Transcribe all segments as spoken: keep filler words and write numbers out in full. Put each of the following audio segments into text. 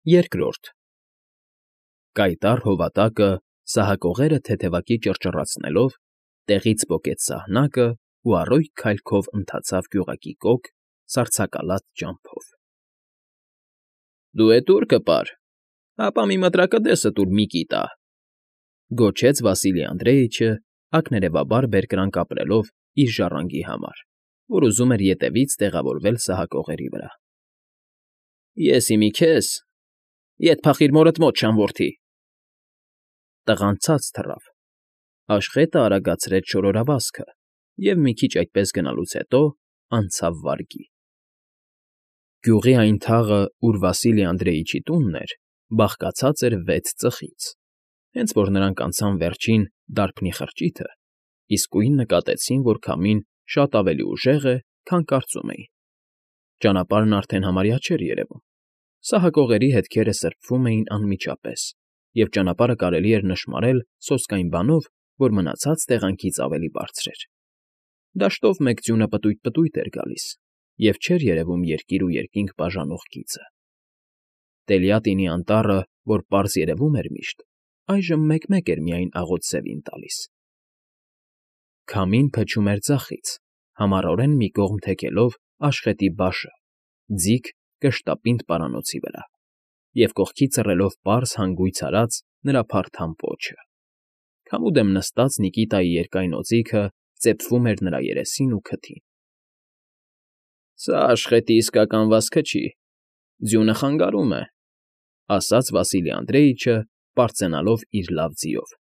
Երկրորդ Կայտառ հովատակը, սահակողերը թեթևակի ճռճռացնելով, տեղից պոկեց սահնակն ու առօգյ քայլքով ընթացավ գյուղակի կոգ, սառցակալած ճամփով։ ֊ Դու էդ ո՞ւր կպար, հապա մի մտրակդեսը տուր մի կիտա,֊ գոչեց Վասիլի Անդրեիչը, ակներևաբար բերկրանք ապրելով իր ժառանգի համար, որ ուզում էր ետևից տեղավորվել սահակողերի վրա։ ֊ Ես իմի քեզ, ետ փախիր մորդ մոտ, շան որդի… Տղան ցած թռավ, աշխետը արագացրեց շորորավազքը և մի քիչ այդպես գնալուց հետո անցավ վարգի։ Գյուղի այն թաղը, ուր Վասիլի Անդրեիչի տունն էր, բաղկացած էր վեց ծխից, հենց որ նրանք անցան վերջին դարբնի խրճիթը, իսկույն նկատեցին, որ քամին շատ ավելի ուժեղ է, քան կարծում էին. ճանապարհն արդեն համարյա չէր երևում, սահակողերի հետքերը սրբվում էին անմիջապես, և ճանապարհը կարելի էր նշմարել սոսկային բանով, որ մնացած տեղանքից ավելի բարձր էր։ Դաշտով մեկ ձյունը պտույտ֊պտույտ էր գալիս, և չէր երևում երկիր ու երկինք բաժանող գիծը։ Տելյատինի անտառը, որ պարզ երևում էր միշտ, այժմ մեկ֊մեկ էր միայն աղոտ սևին տալիս։ Քամին փչում էր ձախից, համառորեն մի կողմ թեքելով աշխետի բաշը, ձիգ կշտապինդ պարանոցի վրա, և կողքի ծռելով պարզ հանգույց արած նրա փարթամ պոչը։ Քամուդեմ նստած Նիկիտայի երկայն օձիքը ծեփվում էր նրա երեսին ու քթին։ ֊ Սա աշխետի իսկական վազքը չի, ձյունը խանգարում է,֊ ասաց Վասիլի Անդրեիչը, պարծենալով իր լավ ձիով։ ֊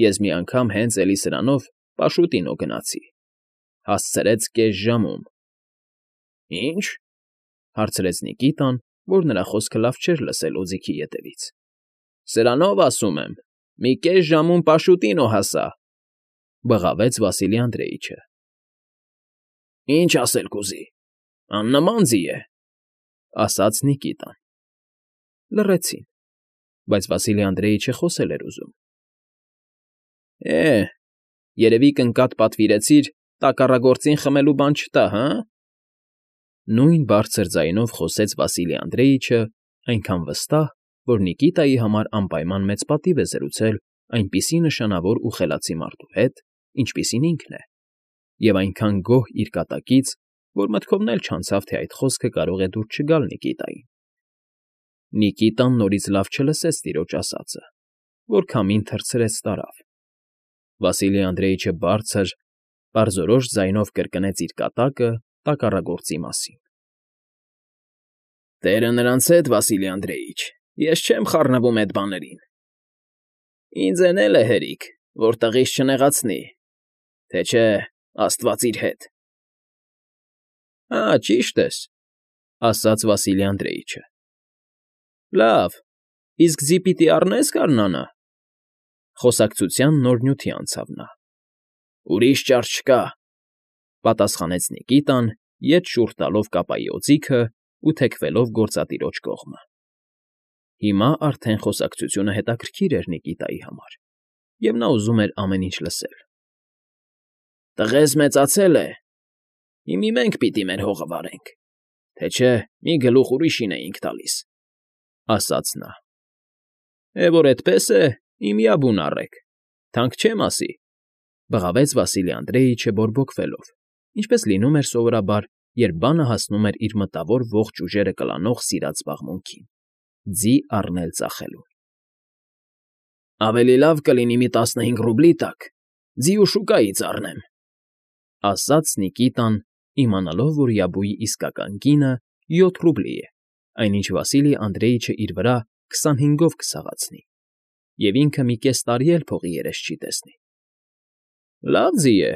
Ես մի անգամ հենց էլի սրանով պաշուտինո գնացի, հասցրեց կես ժամում։ ֊ Ի՞նչ,֊ հարցրեց Նիկիտան, որ նրա խոսքը լավ չէր լսել օձիքի ետևից։ ֊ Սրանով, ասում եմ, մի կես ժամում պաշուտինո հասա,֊ բղավեց Վասիլի Անդրեիչը։ ֊ Ինչ ասել կուզի, աննման ձի է,֊ ասաց Նիկիտան։ Լռեցին, բայց Վասիլի Անդրեիչը խոսել էր ուզում։ ֊ Է, երևի կնկատ պատվիրեցիր, տակառագործին խմելու բան չտա, հը՞… Նույն բարձր ձայնով խոսեց Վասիլի Անդրեիչը, այնքան վստահ, որ Նիկիտայի համար անպայման մեծ պատիվ է զրուցել այնպիսի նշանավոր ու խելացի մարդու հետ, ինչպիսին ինքն է, և այնքան գոհ իր կատակից, որ մտքովն էլ չանցավ, թե այդ խոսքը կարող է դուր չգալ Նիկիտային։ Նիկիտան նորից լավ չլսեց տիրոջ ասածը, որ քամին թռցրեց տարավ։ Վասիլի Անդրեիչը բարձր, պարզորոշ ձայնով կրկնեց իր կատակը տակառագործի մասին։ ֊ Տերը նրանց հետ, Վասիլի Անդրեիչ, ես չեմ խառնվում էդ բաներին… Ինձ էն էլ է հերիք, որ տղիս չնեղացնի, թե չէ, աստված իր հետ… ֊ Հա, ճիշտ ես,֊ ասաց Վասիլի Անդրեիչը։ ֊ Լավ, իսկ ձի պիտի առնե՞ս գարնանը,֊ խոսակցության նոր նյութի անցավ նա։ ֊ Ուրիշ ճար չկա,֊ պատասխանեց Նիկիտան, ետ շուռ տալով կապայի օձիքը ու թեքվելով գործատիրոջ կողմը։ Հիմա արդեն խոսակցությունը հետաքրքիր էր Նիկիտայի համար, և նա ուզում էր ամեն ինչ լսել։ ֊ Տղեզ մեծացել է, հիմա մենք պիտի մեր հողը վարենք, թե չէ մի գլուխ ուրիշին էինք տալիս,֊ ասաց նա։ ֊ Է, որ էդպես է, իմյա բուն առեք, թանկ չեմ ասի,֊ բղավեց Վասիլի Անդրեիչը բորբոքվելով, ինչպես լինում էր սովորաբար, երբ բանը հասնում էր իր մտավոր ողջ ուժերը կլանող սիրած զբաղմունքին՝ ձի առնել֊ծախելուն։ ֊ Ավելի լավ կլինի մի տասնհինգ ռուբլի տաք ձի ու շուկայից առնեմ,֊ ասաց Նիկիտան, իմանալով, որ Յաբուի իսկական գինը յոթ ռուբլի է, այնինչ Վասիլի Անդրեիչը իր վրա քսանհինգով կսաղացնի, և ինքը մի կես տարի էլ փողի երես չի տեսնի։ ֊ Լավ ձի է,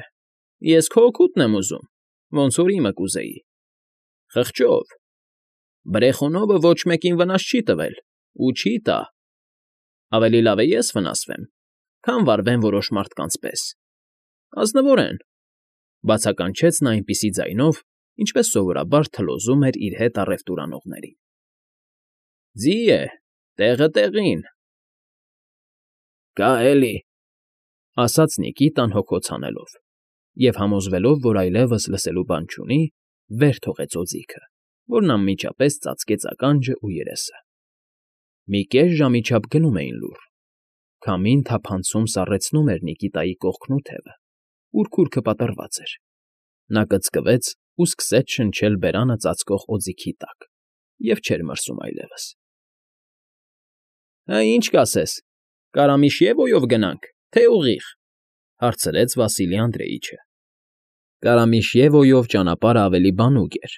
ես քո օգուտն եմ ուզում, ոնց որ իմը կուզեի… Խղճով… Բրեխոնովը ոչ մեկին վնաս չի տվել ու չի տա… Ավելի լավ է ես վնասվեմ, քան վարվեն որոշ մարդկանց պես… Ազնվորեն,֊ բացականչեց նա այնպիսի ձայնով, ինչպես սովորաբար թլոզում էր իր հետ առևտուր անողներին։ ֊ Ձի է, տեղը տեղին… ֊ Կա էլի,֊ ասաց Նիկիտան հոգոց հանելով, և համոզվելով, որ այլևս լսելու բան չունի, վեր թողեց օձիքը, որն անմիջապես ծածկեց ականջն ու երեսը։ Մի կես ժամի չափ գնում էին լուռ, քամին թափանցում սառեցնում էր Նիկիտայի կողքն ու թևը, ուր քուրքը պատռված էր. նա կծկվեց ու սկսեց շնչել բերանը ծածկող օձիքի տակ և չէր մրսում այլևս։ ֊ Հը, ի՞նչ կասես, Կարամիշևոյով գնա՞նք, թե ուղիղ,֊ հարցրեց Վասիլի Անդրեիչը։ Կարամիշևոյով ճանապարհը ավելի բանուկ էր,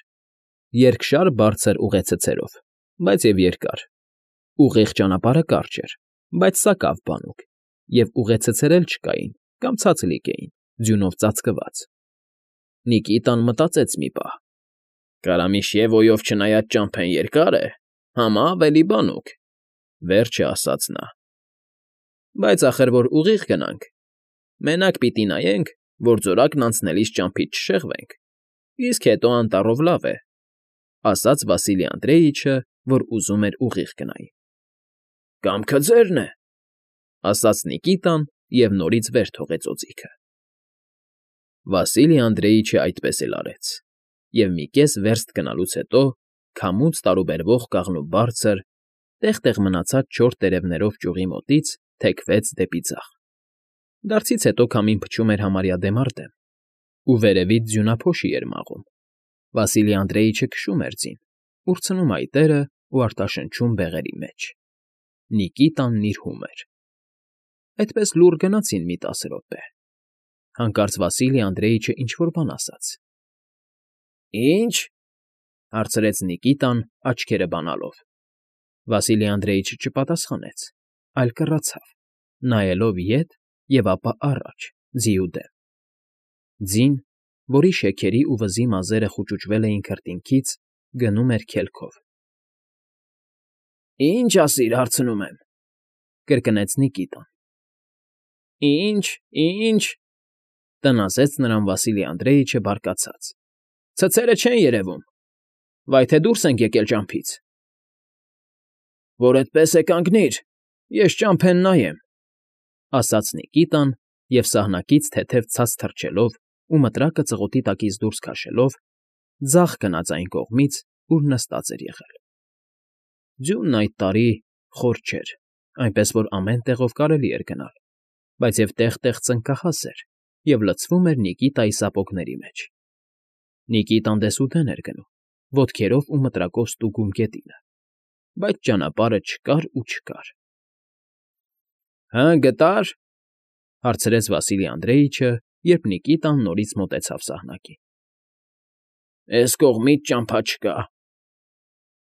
երկշար բարձր ուղեցցերով, բայց և երկար, ուղիղ ճանապարհը կարճ էր, բայց սակավ բանուկ, և ուղեցցեր էլ չկային կամ ցածլիկ էին, ձյունով ծածկված։ Նիկիտան մտածեց մի պահ. «Կարամիշևոյով չնայած ճամփեն երկար է, համա ավելի բանուկ,֊ վերջը ասաց նա։ ֊ Բայց ախր որ ուղիղ գնանք, մենակ պիտի նայենք, որ ձորակն անցնելիս ճամփից չշեղվենք, իսկ հետո անտառով լավ է,֊ ասաց Վասիլի Անդրեիչը, որ ուզում էր ուղիղ գնայի։ ֊ Կամքը ձերն է,֊ ասաց Նիկիտան և նորից վեր թողեց օձիքը։ Վասիլի Անդրեիչը այդպես էլ արեց, և մի կես վերստ գնալուց հետո քամուց տարուբերվող կաղնու բարձր, տեղ֊տեղ մնացած չոր տերևներով ճյուղի մոտից թեքվեց դեպի ձախ. դարձից հետո քամին փչում էր համարյա դեմ առ դեմ, ու վերևից ձյունափոշի էր մաղում։ Վասիլի Անդրեիչը քշում էր ձին, ուրցնում այտերը ու արտաշնչում բեղերի մեջ։ Նիկիտան նիրհում էր։ Այդպես լուռ գնացին մի տասը րոպե։ Հանկարծ Վասիլի Անդրեիչը ինչ֊որ բան ասաց։ ֊ Ի՞նչ,֊ հարցրեց Նիկիտան աչքերը բանալով։ Վասիլի Անդրեիչը չպատասխանեց, այլ կռացավ, նայելով ետ և ապա առաջ, ձիու դեմ։ Ձին, որի շեքերի ու վզի մազերը խուճուճվել էին քրտինքից, գնում էր քելքով։ ֊ Ի՞նչ ասիր, հարցնում եմ,֊ կրկնեց Նիկիտան։ ֊ Ի՞նչ, ի՞նչ,֊ տնասեց նրան Վասիլի Անդրեիչը բարկացած,֊ ցցերը չեն երևում, վայ թե դուրս ենք եկել ճամփից։ ֊ Որ էդպես է, կանգնիր, ես ճամփեն նայեմ,֊ ասաց Նիկիտան և սահնակից թեթև ցած թռչելով ու մտրակը ծղոտի տակից դուրս քաշելով, ձախ գնաց այն կողմից, ուր նստած էր եղել։ Ձյունն այդ տարի խոր չէր, այնպես որ ամեն տեղով կարելի էր գնալ, բայց և տեղ֊տեղ ծնկահաս էր և լցվում էր Նիկիտայի սապոգների մեջ։ Նիկիտան դեսուդեն էր գնում, ոտքերով ու մտրակով ստուգում գետինը, բայց ճանապարհը չկար ու չկար։ ֊ Հը, գտա՞ր,֊ հարցրեց Վասիլի Անդրեիչը, երբ Նիկիտան նորից մոտեցավ սահնակին։ ֊ Էս կողմից ճամփա չկա,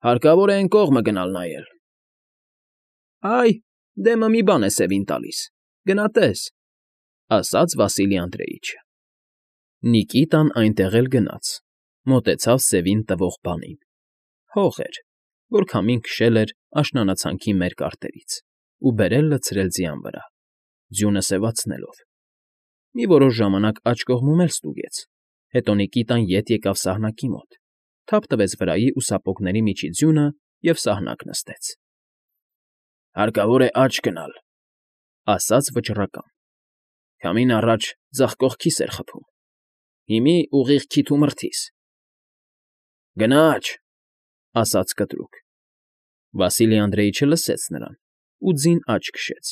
հարկավոր է էն կողմը գնալ նայել։ ֊ Այ, դեմը մի բան է սևին տալիս, գնա տես,֊ ասաց Վասիլի Անդրեիչը։ Նիկիտան այնտեղ էլ գնաց, մոտեցավ սևին տվող բանին. հող էր, որ քամին քշել էր աշնանացանքի մերկ արտերից ու բերել լցրել ձյան վրա, ձյունը սևացնելով։ Մի որոշ ժամանակ աջ կողմում էլ ստուգեց, հետո Նիկիտան ետ եկավ սահնակի մոտ, թափ տվեց վրայի ու սապոգների միջի ձյունը և սահնակ նստեց։ ֊ Հարկավոր է աջ գնալ,֊ ասաց վճռական։ Քամին առաջ ձախ կողքիս էր խփում, հիմի ուղիղ քիթ ու մրթիս։ ֊ Գնա աջ,֊ ասաց կտրուկ։ Վասիլի Անդրեիչը լսեց նրան ու ձին աջ քշեց,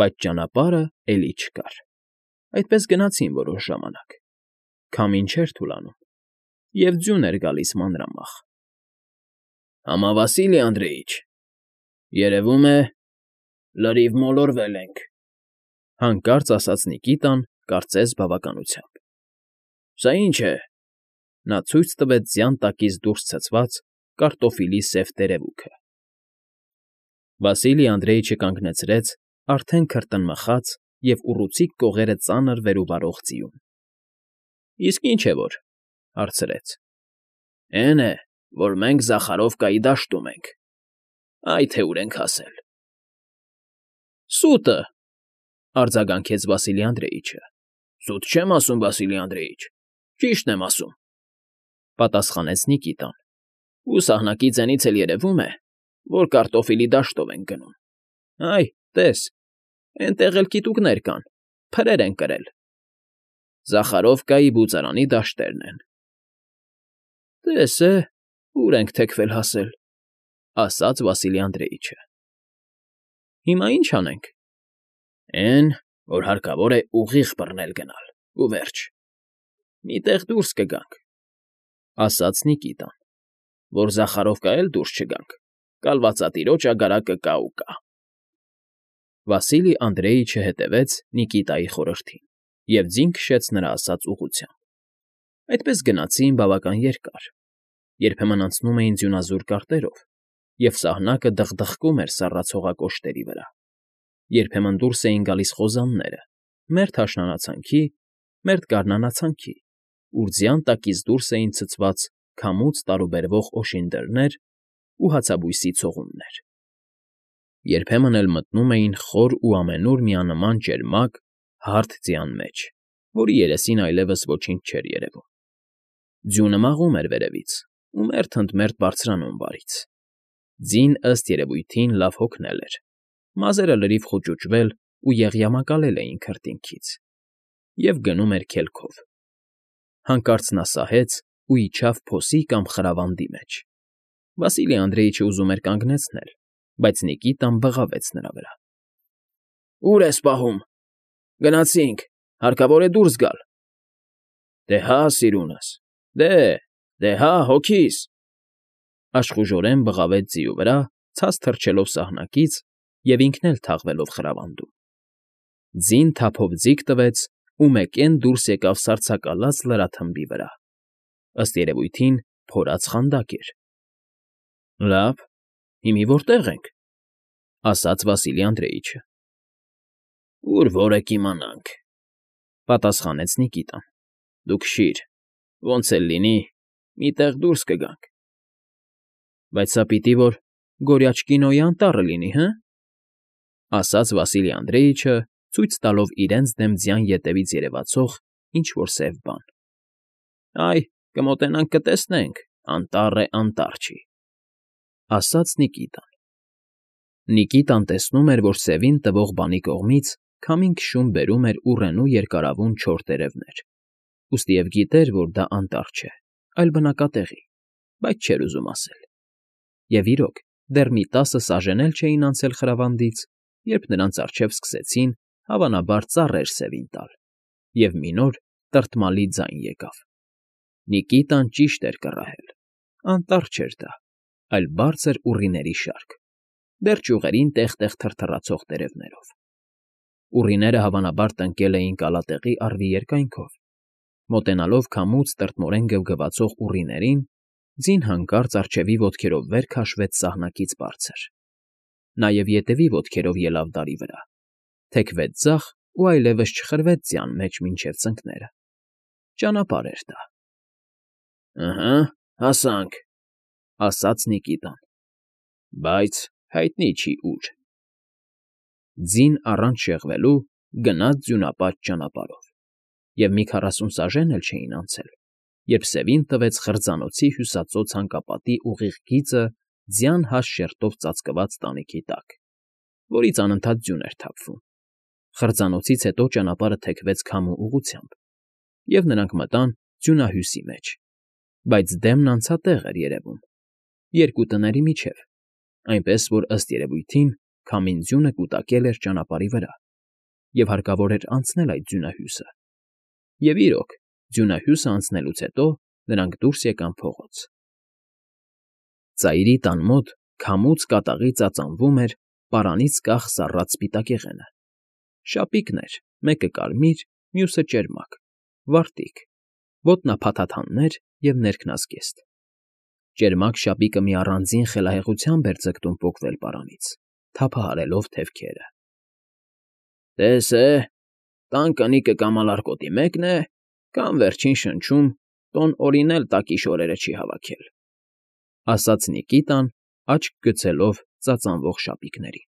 բայց ճանապարհը էլի չկար։ Այդպես գնացին որոշ ժամանակ. քամին չէր թուլանում, և ձյուն էր գալիս մանրամախ։ ֊ Համա Վասիլի Անդրեիչ, երևում է, լրիվ մոլորվել ենք,֊ հանկարծ ասաց Նիկիտան, կարծես բավականությամբ։ ֊ Սա ի՞նչ է,֊ նա ցույց տվեց ձյան տակից դուրս ցցված կարտոֆիլի սև տերևուկը։ Վասիլի Անդրեիչը կանգնեցրեց արդեն քրտնմխած և ուռուցիկ կողերը ծանր վեր ու վարող ձիուն։ ֊ Իսկ ի՞նչ է որ,֊ հարցրեց։ ֊ Էն է, որ մենք Զախարովկայի դաշտում ենք, այ թե ուր ենք հասել։ ֊ Սուտը,֊ արձագանքեց Վասիլի Անդրեիչը։ ֊ Սուտ չեմ ասում, Վասիլի Անդրեիչ, ճիշտն եմ ասում,֊ պատասխանեց Նիկիտան,֊ ու սահնակի ձենից էլ երևում է, որ կարտոֆիլի դաշտով ենք գնում։ Այ, տես, էնտեղ էլ կիտուկներ կան, փրեր են կրել։ Զախարովկայի բուծարանի դաշտերն են։ ֊ Տես է, ուր ենք թեքվել հասել,֊ ասաց Վասիլի Անդրեիչը։ Հիմա ի՞նչ անենք։ Էն, որ հարկավոր է ուղիղ բռնել գնալ, ու վերջ։ Մի տեղ դուրս կգանք, ասաց Նիկիտան, որ Զախարովկա էլ դուրս չգանք, կալվածատիրոջ ագարակը կա ու կա։ Վասիլի Անդրեիչը հետևեց Նիկիտայի խորհրդին և ձին քշեց նրա ասած ուղղությամբ։ Այդպես գնացին բավական երկար, երբեմն անցնում էին ձյունազուրկ կարտերով, և սահնակը դխդխկում էր սառցողակոշտերի վրա, երբեմն դուրս էին գալիս խոզանները, մերթ աշնանացանքի, մերթ գարնանացանքի, ուր ձյան տակից դուրս էին ցցված քամուց տարուբերվող օշինդրներ ու հացաբույսի ցողուններ։ Երբեմն էլ մտնում էին խոր ու ամենուր միանման ճերմակ, հարթ ձյան մեջ, որի երեսին այլևս ոչինչ չէր երևում։ Ձյունը մաղում էր վերևից ու մերթ ընդ մերթ բարձրանում վարից։ Ձին, ըստ երևույթին, լավ հոգնել էր, մազերը լրիվ խուճուճվել ու եղյամակալել էին քրտինքից, և գնում էր քելքով։ Հանկարծ նա սահեց ու իջավ փոսի կամ խրավանդի մեջ։ Վասիլի Անդրեիչը ուզում էր կանգնեցնել, բայց Նիկիտան բղավեց նրա վրա։ ֊ Ո՞ւր ես պահում։ Գնացինք, հարկավոր է դուրս գալ։ ֊ Դե հա, սիրունս, դե, դե հա, հոգիս… Աշխուժորեն բղավեց ձիու վրա, ցած թռչելով սահնակից և ինքն էլ թաղվելով խրավանդում։ Ձին թափով ձիգ տվեց ու մեկեն դուրս եկավ սառցակալած լրաթմբի վրա, ըստ երևույթին փորած խանդակ էր։ ֊ Լավ, հիմի որտե՞ղ ենք,֊ ասաց Վասիլի Անդրեիչը։ ֊ Ուր որ է կիմանանք,֊ պատասխանեց Նիկիտան։ ֊ Դու քշիր, ոնց էլ լինի, մի տեղ դուրս կգանք։ ֊ Բայց սա պիտի որ Գորյաչկինոյի անտառը լինի, հը՞, ասաց Վասիլի Անդրեիչը, ցույց տալով իրենց դեմ ձյան ետևից երևացող ինչ֊որ սև բան։ ֊ Այ, կմոտենանք կտեսնենք, անտառ է, անտառ չի,֊ ասաց Նիկիտան։ Նիկիտան տեսնում էր, որ սևին տվող բանի կողմից քամին քշում բերում էր ուռենու երկարավուն չոր տերևներ, ուստիև գիտեր, որ դա անտառ չէ, այլ բնակատեղի, բայց չէր ուզում ասել։ Եվ իրոք, դեռ մի տասը սաժեն էլ չէին անցել խրավանդից, երբ նրանց առջև սկսեցին, հավանաբար, ծառեր սևին տալ, և մի նոր տրտմալի ձայն եկավ։ Նիկիտան ճիշտ էր կռահել. անտառ չէր դա, այլ բարձր ուռիների շարք, դեռ ճյուղերին տեղ֊տեղ թրթռացող տերևներով։ Ուռիները հավանաբար տնկել էին կալատեղի առվի երկայնքով։ Մոտենալով քամուց տրտմորեն գվգվացող ուռիներին, ձին հանկարծ առջևի ոտքերով վեր քաշվեց սահնակից բարձր, նաև ետևի ոտքերով ելավ դարի վրա, թեքվեց ձախ ու այլևս չխրվեց ձյան մեջ մինչև ծնկները։ Ճանապարհ էր դա։ ֊ Ըհը, հասանք,֊ ասաց Նիկիտան։ Բայց հայտնի չի ուր։ Ձին առանց շեղվելու գնաց ձյունապատ ճանապարհով, և մի քառասուն սաժեն էլ չէին անցել, երբ սևին տվեց խրձանոցի հյուսածոց հանկապատի ուղիղ գիծը ձյան հաստ շերտով ծածկված տանիքի տակ, որից անընդհատ ձյուն էր թափվում։ Խրձանոցից հետո ճանապարհը թեքվեց քամու ուղղությամբ, և նրանք մտան ձյունահյուսի մեջ, բայց դեմն անցատեղ էր երևում, երկու տների միջև, այնպես որ, ըստ երևույթին, քամին ձյունը կուտակել էր ճանապարհի վրա, և հարկավոր էր անցնել այդ ձյունահյուսը։ Եվ իրոք, ձյունահյուսը անցնելուց հետո նրանք դուրս եկան փողոց։ Ծայրի տան մոտ քամուց կատաղի ծածանվում էր պարանից կախ սառած սպիտակեղենը։ Շապիկներ, մեկը կարմիր, մյուսը ճերմակ, վարտիք, ոտնափաթաթաններ և ներքնազգեստ։ Ճերմակ շապիկը մի առանձին խելահեղությամբ էր ձգտում պոկվել պարանից, թափահարելով թևքերը։ ֊ Տես է, տան կնիկը կամ ալարկոտի մեկն է, կամ վերջին շնչում տոն Օրին էլ տակի շորերը չի հավաքել,֊ ասաց Նիկիտան, աչք գցելով ծածանվող շապիկներին։